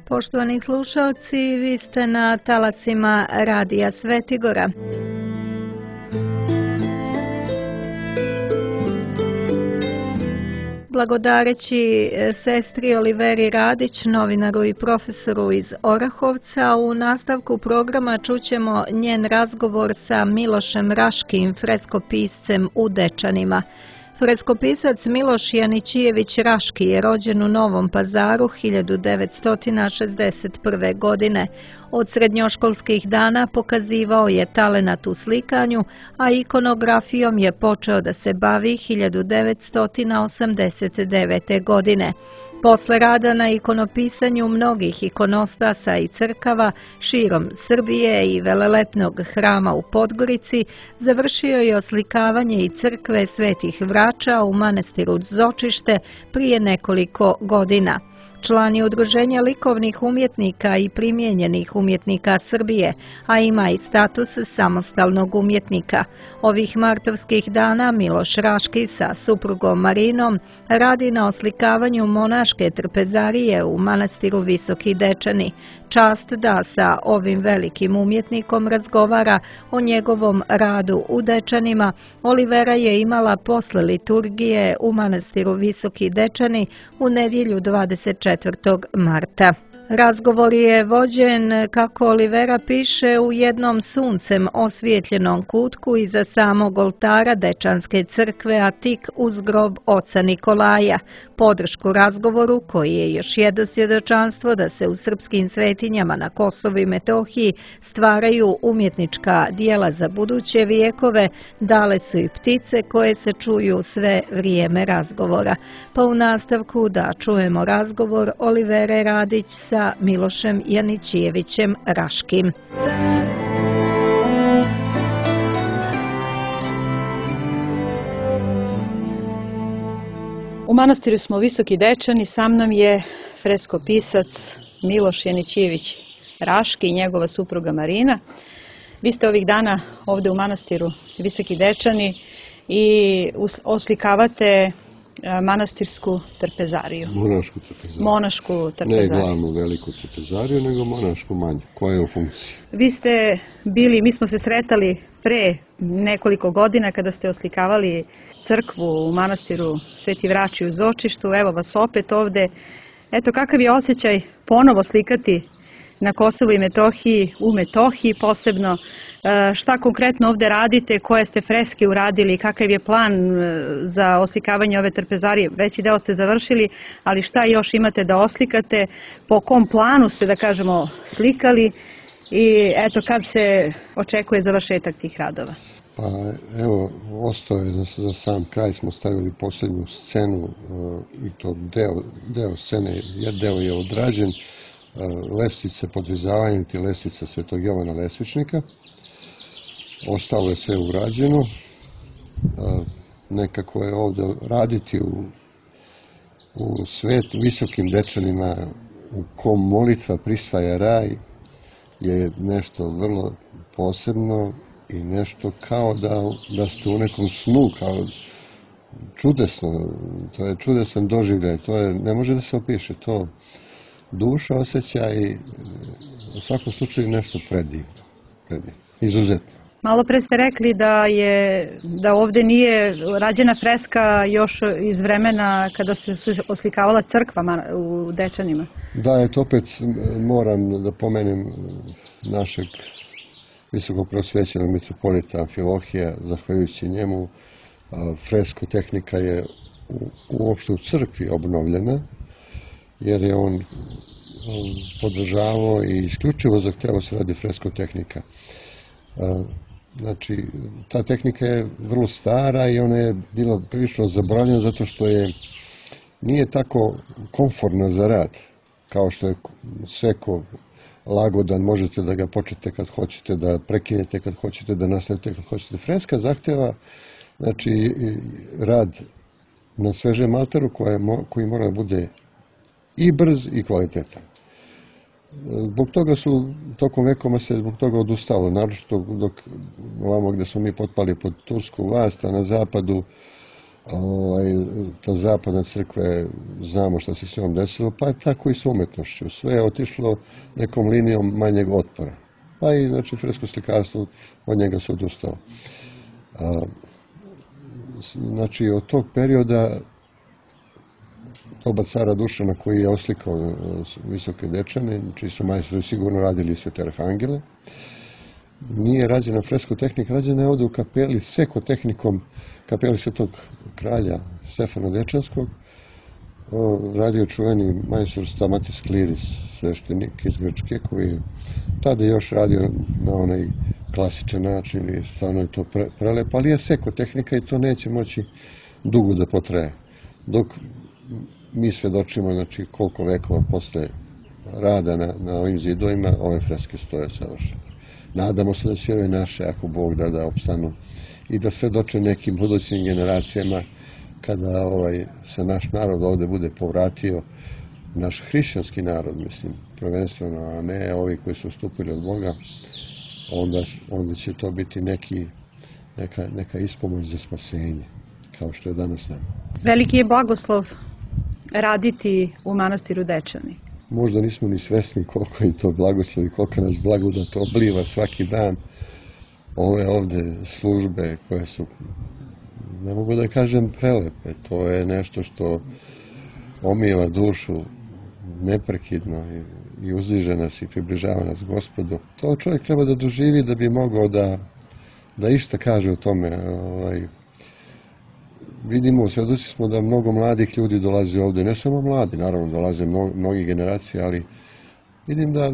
Poštovani slušalci, vi ste na talasima Radija Svetigora. Blagodareći sestri Oliveri Radić, novinaru i profesoru iz Orahovca, u nastavku programa čućemo njen razgovor sa Milošem Raškim, freskopiscem u Dečanima. Freskopisac Miloš Janićijević Raški je rođen u Novom Pazaru 1961. godine. Od srednjoškolskih dana pokazivao je talenat u slikanju, a ikonografijom je počeo da se bavi 1989. godine. Posle rada na ikonopisanju mnogih ikonostasa i crkava širom Srbije i velelepnog hrama u Podgorici, završio je oslikavanje i crkve Svetih Vrača u manastiru Zočište prije nekoliko godina. Član je Udruženja likovnih umjetnika i primijenjenih umjetnika Srbije, a ima i status samostalnog umjetnika. Ovih martovskih dana Miloš Raški sa suprugom Marinom radi na oslikavanju monaške trpezarije u manastiru Visoki Dečani. Čast da sa ovim velikim umjetnikom razgovara o njegovom radu u Dečanima Olivera je imala posle liturgije u manastiru Visoki Dečani u nedjelju 24. marta. Razgovor je vođen, kako Olivera piše, u jednom suncem osvijetljenom kutku iza samog oltara Dečanske crkve, a tik uz grob oca Nikolaja. Podršku razgovoru, koji je još jedno svjedočanstvo da se u srpskim svetinjama na Kosovu i Metohiji stvaraju umjetnička dijela za buduće vijekove, dale su i ptice koje se čuju sve vrijeme razgovora. Pa u nastavku da čujemo razgovor Olivere Radić sa Milošem Janićijevićem Raškim. U manastiru smo Visoki Dečani, sa mnom je freskopisac Miloš Janićijević Raški i njegova supruga Marina. Vi ste ovih dana ovdje u manastiru Visoki Dečani i oslikavate manastirsku trpezariju. Monašku trpezariju. Ne glavnu veliku trpezariju, nego monašku manju, koja je u funkciji. Vi ste bili, mi smo se sretali pre nekoliko godina kada ste oslikavali crkvu u manastiru Sveti Vrači u Zočištu. Evo vas opet ovde. Eto, kakav je osjećaj ponovo slikati na Kosovu i Metohiji, u Metohiji posebno. Šta konkretno ovde radite, koje ste freske uradili, kakav je plan za oslikavanje ove trpezarije? Veći deo ste završili, ali šta još imate da oslikate, po kom planu ste, da kažemo, slikali i eto, kad se očekuje završetak tih radova? Pa evo, ostao je za sam kraj, smo stavili posljednju scenu i to deo scene, deo je odrađen, lestvice, podvizavanje ti lestvica Svetog Jovana Lesvičnika. Ostalo je sve urađeno. Nekako je ovdje raditi u Visokim Dečanima, u kom molitva prisvaja raj, je nešto vrlo posebno i nešto kao da ste u nekom snu, kao čudesno. To je čudesan doživljaj, to je, ne može da se opiše, to duša osjeća i u svakom slučaju nešto predivno, izuzetno. Malo pre ste rekli da ovdje nije rađena freska još iz vremena kada se oslikavala crkva u Dečanima. Da, eto opet moram da pomenem našeg visokog prosvećenog mitropolita Amfilohija, zahvaljujući njemu fresko tehnika je uopšte u crkvi obnovljena, jer je on podržavao i isključivo zahtevao se radi fresko tehnika. Znači, ta tehnika je vrlo stara i ona je bila prilično zabranjena zato što nije tako komfortna za rad, kao što je sveko lagodan, možete da ga počnete kad hoćete, da prekinete kad hoćete, da nastavite kad hoćete. Freska zahteva, znači, rad na svežem alteru koji mora da bude i brz i kvalitetan. Zbog toga su, tokom vekoma se zbog toga odustalo, naročito dok ovamo gde smo mi potpali pod tursku vlast, a na zapadu ta zapadna crkva, znamo šta se s njom desilo, pa je tako i s umetnošću. Sve je otišlo nekom linijom manjeg otpora. Pa i, znači, fresko slikarstvo, od njega se odustalo. Znači, od tog perioda doba cara Dušana koji je oslikao Visoke Dečane, čiji su majstori sigurno radili Svete Arhangele, nije rađena fresko tehnika, rađena je ovde u kapeli seko tehnikom kapeli Svetog kralja Stefana Dečanskog. Radio čuveni majstor Stamatis Kliris, sveštenik iz Grčke, koji je tada još radio na onaj klasičan način i stvarno je to prelepo, ali je seko tehnika i to neće moći dugo da potraje. Dok mi svedočimo, znači, koliko vekova posle rada na ovim zidovima, ove freske stoje savršene. Nadamo se da će ove naše, ako Bog da opstanu i da svedoče nekim budućim generacijama kada se naš narod ovde bude povratio, naš hrišćanski narod, mislim, prvenstveno, a ne ovi koji su stupili od Boga, onda će to biti neka ispomoć za spasenje, kao što je danas nama. Veliki je blagoslov raditi u manastiru Dečani. Možda nismo ni svesni koliko je to blagoslov i koliko nas blagodat obliva svaki dan. Ove ovde službe koje su, ne mogu da kažem, prelepe. To je nešto što omijeva dušu neprekidno i uzdiže nas i približava nas Gospodu. To čovjek treba da doživi da bi mogao da išta kaže o tome. Vidimo, svedoci smo da mnogo mladih ljudi dolazi ovde, ne samo mladi, naravno dolaze mnogi generacije, ali vidim da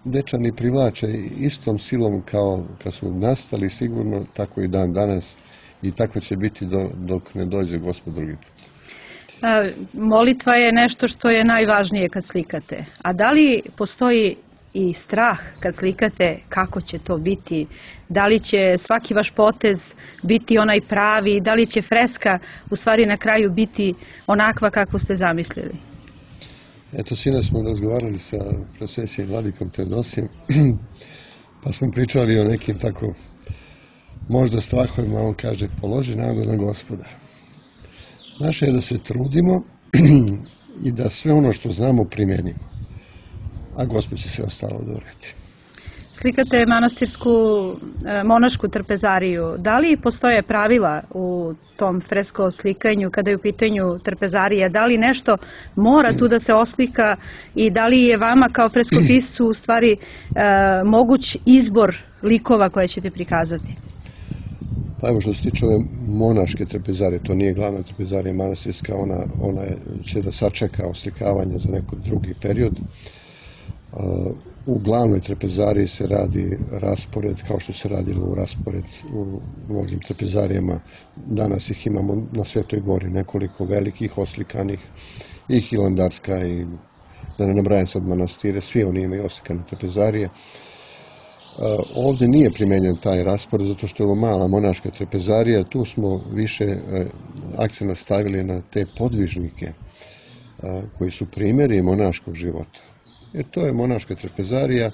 Dečani privlače istom silom kao kad su nastali sigurno, tako i dan danas i tako će biti dok ne dođe Gospod drugi put. Molitva je nešto što je najvažnije kad slikate. A da li postoji i strah kad slikate kako će to biti? Da li će svaki vaš potez biti onaj pravi? Da li će freska u stvari na kraju biti onakva kakvu ste zamislili? Eto, sinoć smo razgovarali sa prosvesijim vladikom Teodosijem, pa smo pričali o nekim tako možda strahovima, on kaže položi nadu na Gospoda. Naše je da se trudimo i da sve ono što znamo primenimo, a Gospod će sve ostalo da uredi. Slikate manastirsku monašku trpezariju. Da li postoje pravila u tom fresko slikanju kada je u pitanju trpezarija? Da li nešto mora tu da se oslika i da li je vama kao freskopiscu u stvari moguć izbor likova koje ćete prikazati? Pa evo, što se tiče ove monaške trpezarije, to nije glavna trpezarija manastirska, ona će da sačeka oslikavanje za neki drugi period. U glavnoj trpezariji se radi raspored, kao što se radilo u raspored u mnogim trpezarijama. Danas ih imamo na Svetoj gori, nekoliko velikih oslikanih, i Hilandarska, i da ne nabrajam sad manastire, svi oni imaju oslikane trpezarije. Ovde nije primenjen taj raspored, zato što je ovo mala monaška trpezarija, tu smo više akcent stavili na te podvižnike koji su primjeri monaškog života. Jer to je monaška trpezarija,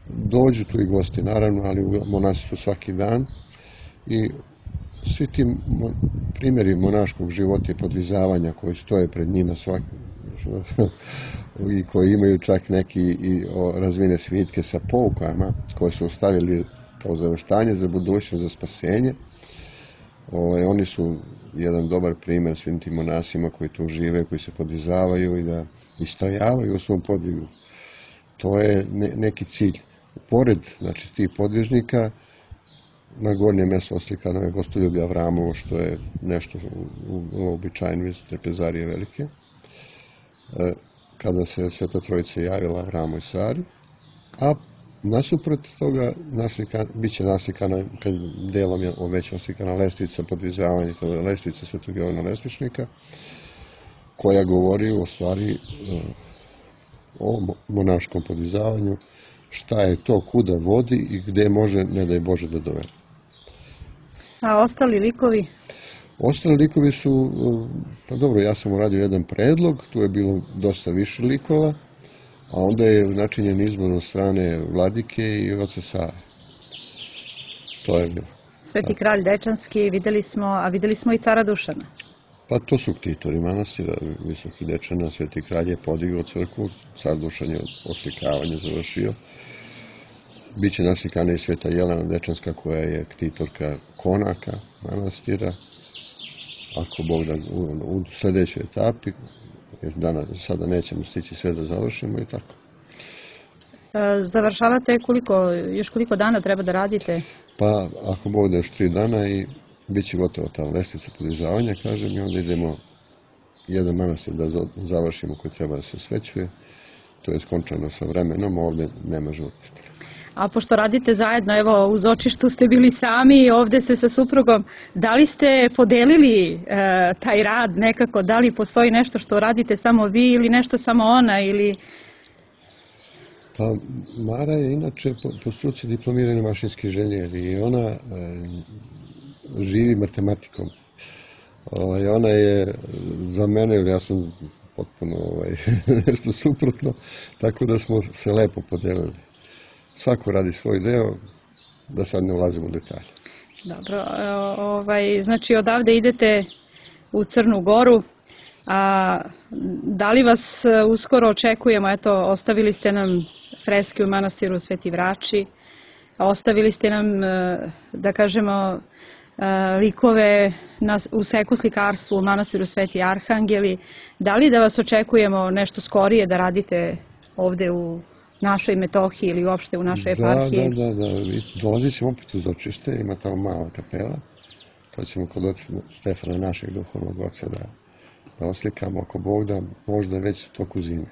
dođu tu i gosti naravno, ali u monastiru svaki dan i svi ti primjeri monaškog života i podvizavanja koji stoje pred njima i koji imaju čak neki razvijene svitke sa poukama koje su ostavili kao zaveštanje za budućnost, za spasenje. Oni su jedan dobar primjer svim tim monasima koji tu žive, koji se podvizavaju i da istrajavaju u svom podvigu. To je neki cilj. Pored, znači, tih podvižnika, na gornjem mjestu oslikano je Gostoljublje Avramovo, što je nešto uobičajeno iz trpezarije velike. Kada se Sveta Trojica javila Avramu i Sari, a nasuprot toga bit će naslikana, kad delom je već oslikana lestvica podvizavanja, to je lestvica Svetog Jovana Lestvičnika, koja govori o stvari o monaškom podvizavanju, šta je to, kuda vodi i gde može, ne daj Bože, da dovede. A ostali likovi? Ostali likovi su, pa dobro, ja sam uradio jedan predlog, tu je bilo dosta više likova, a onda je načinjen izbor od strane vladike i oca Save. To je bilo. Sveti kralj Dečanski, videli smo i cara Dušana. Pa to su ktitori manastira Visokih Dečana. Sveti kralj je podigao crkvu, car Dušan je oslikavanje završio. Biće naslikana i Sveta Jelena Dečanska, koja je ktitorka konaka manastira. Ako Bog da, u sljedećoj etapi, jer sada nećemo stići sve da završimo i tako. Završavate još koliko dana treba da radite? Pa ako Bog da još 3 dana i bit će gotovo ta lestvica podizavanja, kažem, i onda idemo jedan manastir da završimo koji treba da se osvećuje. To je skončano sa vremenom, ovdje nema žurbe. A pošto radite zajedno, evo u Zočištu ste bili sami, ovdje ste sa suprugom, da li ste podelili taj rad nekako, da li postoji nešto što radite samo vi ili nešto samo ona ili... Pa Mara je inače po struci diplomirani mašinski inženjer i ona živi matematikom. Ona je za mene, ili ja sam potpuno nešto suprotno, tako da smo se lepo podelili. Svako radi svoj deo, da sad ne ulazimo u detalje. Dobro, znači odavde idete u Crnu Goru, a da li vas uskoro očekujemo, eto, ostavili ste nam freske u manastiru Sveti Vrači, ostavili ste nam, da kažemo, likove u seku slikarstvu u manastiru Sveti Arhangeli. Da li da vas očekujemo nešto skorije da radite ovde u našoj Metohiji ili uopšte u našoj eparhiji? Da. Dolazit ćemo opet u Zočište, ima tamo mala kapela. To ćemo kod oca Stefana, našeg duhovnog oca, da oslikamo, ako Bog da, možda već u toku zime.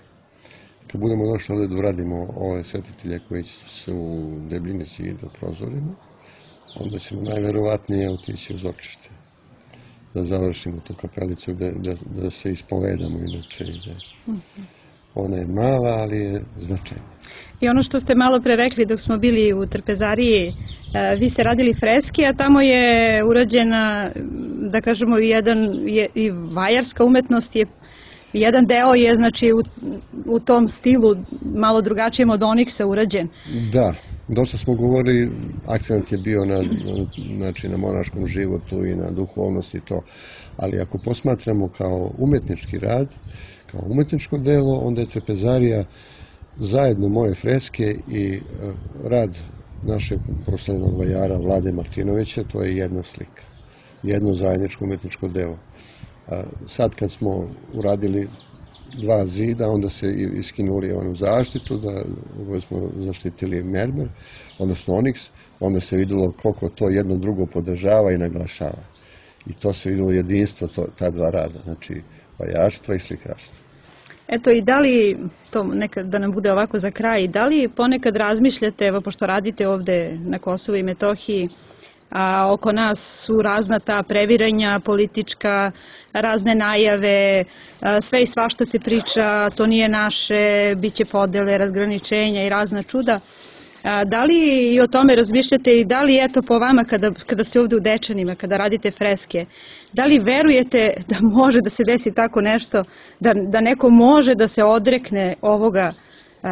Kad budemo došli ovdje da uradimo ove svetitelje koji su u debljini zida u prozorima, onda ćemo najverovatnije otići u Zočište. Da završimo tu kapelicu, da se ispovedamo inače. Ona je mala, ali je značajna. I ono što ste malo pre rekli dok smo bili u trpezariji, vi ste radili freske, a tamo je urađena, da kažemo, i vajarska umetnost, jedan deo je znači u tom stilu malo drugačijem od oniksa urađen. Da, dosta smo govorili, akcent je bio na monaškom životu i na duhovnosti i to, ali ako posmatramo kao umetnički rad, kao umetničko delo, onda je trpezarija zajedno moje freske i rad našeg proslavljenog vajara Vlade Martinovića, to je jedna slika, jedno zajedničko umetničko delo. Sad kad smo uradili 2 zida, onda se iskinuli onu zaštitu, da smo zaštitili mermer, odnosno oniks, onda se vidjelo koliko to jedno drugo podržava i naglašava. I to se vidjelo jedinstvo ta 2 rada, znači vajarstva i slikarstva. Eto, i da li, to nekad da nam bude ovako za kraj, da li ponekad razmišljate, evo pošto radite ovde na Kosovu i Metohiji, a oko nas su razna ta previranja politička, razne najave, sve i svašta se priča, to nije naše, bit će podele, razgraničenja i razna čuda. Da li i o tome razmišljate i da li, eto, po vama kada ste ovde u Dečanima, kada radite freske, da li verujete da može da se desi tako nešto, da neko može da se odrekne ovoga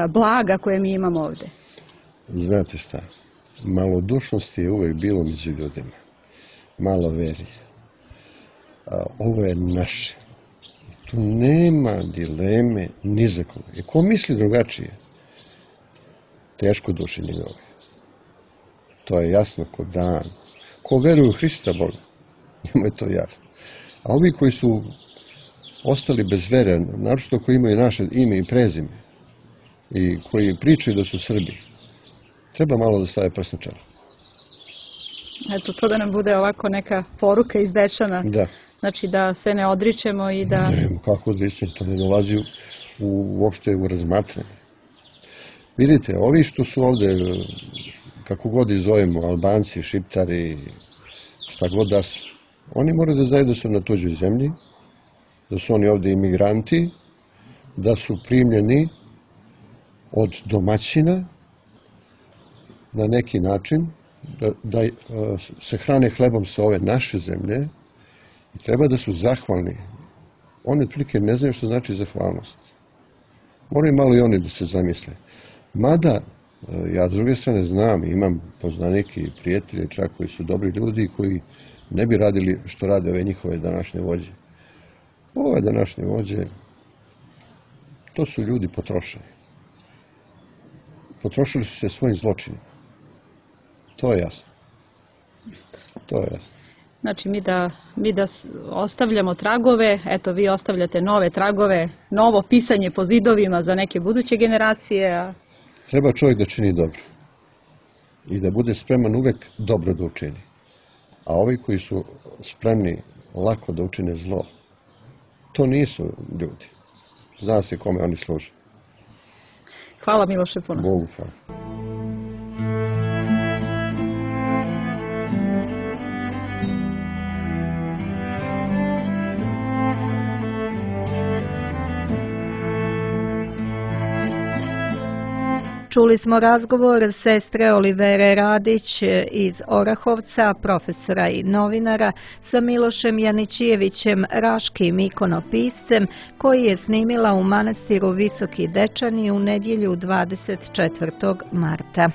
blaga koje mi imamo ovde? Znate šta, malodušnosti je uvek bilo među ljudima, malo veri. Ovo je naše. Tu nema dileme ni za koga. I ko misli drugačije, teško duši njegove. To je jasno ko dan. Ko veruje u Hrista Boga, njemu je to jasno. A ovi koji su ostali bez vere, naročito koji imaju naše ime i prezime i koji pričaju da su Srbi, treba malo da stave prst na čelo. Eto, to da nam bude ovako neka poruka iz Dečana. Da. Znači da se ne odričemo i da... Ne, kako odričemo, to ne dolazi uopšte u razmatranje. Vidite, ovi što su ovde, kako god ih zovemo, Albanci, Šiptari, šta god da su, oni moraju da znaju da su na tuđoj zemlji, da su oni ovde imigranti, da su primljeni od domaćina na neki način, da se hrane hlebom sa ove naše zemlje i treba da su zahvalni. Oni otprilike ne znaju što znači zahvalnost. Moraju malo i oni da se zamisle. Mada, ja s druge strane znam, imam poznanike i prijatelje čak koji su dobri ljudi koji ne bi radili što rade ove njihove današnje vođe. Ove današnje vođe, to su ljudi potrošeni. Potrošili su se svojim zločinima. To je jasno. To je jasno. Znači mi da ostavljamo tragove, eto vi ostavljate nove tragove, novo pisanje po zidovima za neke buduće generacije. Treba čovjek da čini dobro. I da bude spreman uvek dobro da učini. A ovi koji su spremni lako da učine zlo, to nisu ljudi. Zna se kome oni služe. Hvala Miloše puno. Bogu hvala. Čuli smo razgovor sestre Olivere Radić iz Orahovca, profesora i novinara, sa Milošem Janićijevićem, raškim ikonopiscem, koji je snimila u manastiru Visoki Dečani u nedjelju 24. marta.